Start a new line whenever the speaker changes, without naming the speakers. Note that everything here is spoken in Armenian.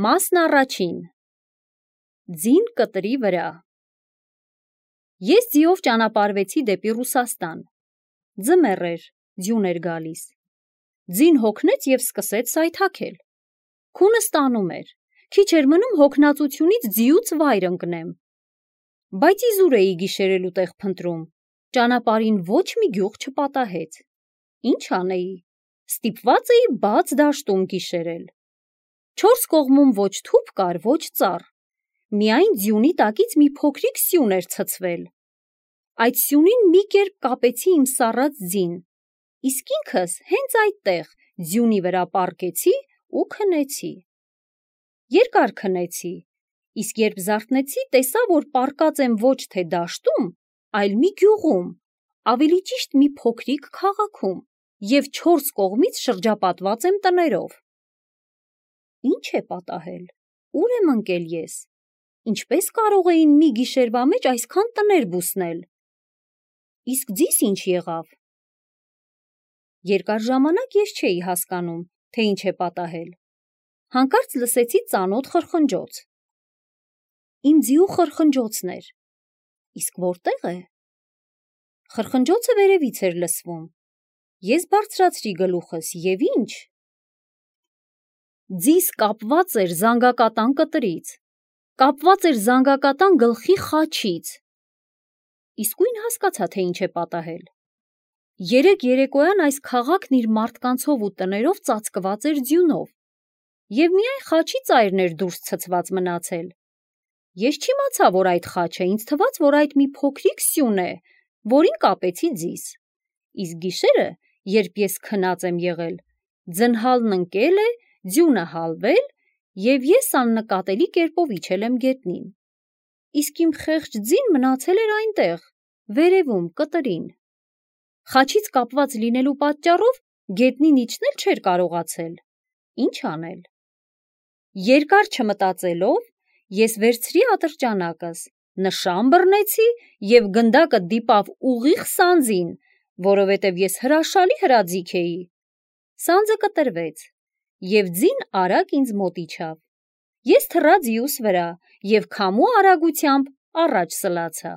Մասն առաջին Ձին կտրի վրա Ես ձիով ճանապարհվեցի դեպի Ռուսաստան։ Ձմեռ էր, ձյուն էր գալիս։ Ձին հոգնեց և սկսեց սայթաքել։ Քունս տանում էր, քիչ էր մնում հոգնածությունից ձիուց վայր ընկնեմ։ Բայց իզուր էի գիշերելու տեղ փնտրում, ճանապարհին ոչ մի գյուղ չպատահեց։ Ինչ անեի, ստիպված էի բաց դաշտում գիշերել։ Չորս կողմում ոչ թուփ կար, ոչ ծառ, միայն ձյունի տակից մի փոքրիկ սյուն էր ցցվել։ Այդ սյունին մի կերպ կապեցի իմ սառած ձին, իսկ ինքս հենց այդտեղ ձյունի վրա պառկեցի ու քնեցի։ Երկար քնեցի, իսկ երբ զարթնեցի, տեսա, որ պառկած եմ ոչ թե դաշտում, այլ մի գյուղում, ավելի ճիշտ մի փոքրիկ քաղաքում, և չորս կողմից շրջապատված եմ տներով։ Ինչ է պատահել, ուր եմ ընկել ես, ինչպես կարող էին մի գիշերվա մեջ այսքան տներ բուսնել։ Իսկ ձիս ինչ եղավ։ Երկար ժամանակ ես չէի հասկանում, թե ինչ է պատահել։ Հանկարծ լսեցի ծանոթ խրխնջոց։ Իմ ձիու խրխնջոցն էր։ Իսկ որտե՞ղ է։ Խրխնջոցը վերևից էր լսվում։ Ես բարձրացրի գլուխս և ինչ։ Ձիս կապված էր զանգակատան կտրից, կապված էր զանգակատան գլխի խաչից։ Իսկույն հասկացա, թե ինչ է պատահել։ Երեկ երեկոյան այս քաղաքն իր մարդկանցով ու տներով ծածկված էր ձյունով, և միայն խաչի ծայրն էր դուրս ցցված մնացել։ Ես չիմացա, որ այդ խաչը, ինձ թվաց, որ այդ մի փոքրիկ սյուն է, որին կապեցի ձիս։ Իսկ գիշերը, երբ ես քնած եմ եղել, ձնհալն ընկել է, ձյունը հալվել, և ես աննկատելի կերպով իջել եմ գետնին։ Իսկ իմ խեղճ ձին մնացել էր այնտեղ, վերևում, կտրին։ Խաչից կապված լինելու պատճառով գետնին իջնել չէր կարողացել։ Ինչ անել։ Երկար չմտածելով, ես վերցրի ատրճանակս, նշան բռնեցի և գնդակը դիպավ ուղիղ սանձին, որովհետև ես հրաշալի հրաձիգ էի։ Սանձը կտրվեց, և ձին արագ ինձ մոտ իջավ։ Ես թռա ձիուս վրա և քամու արագությամբ առաջ սլացա։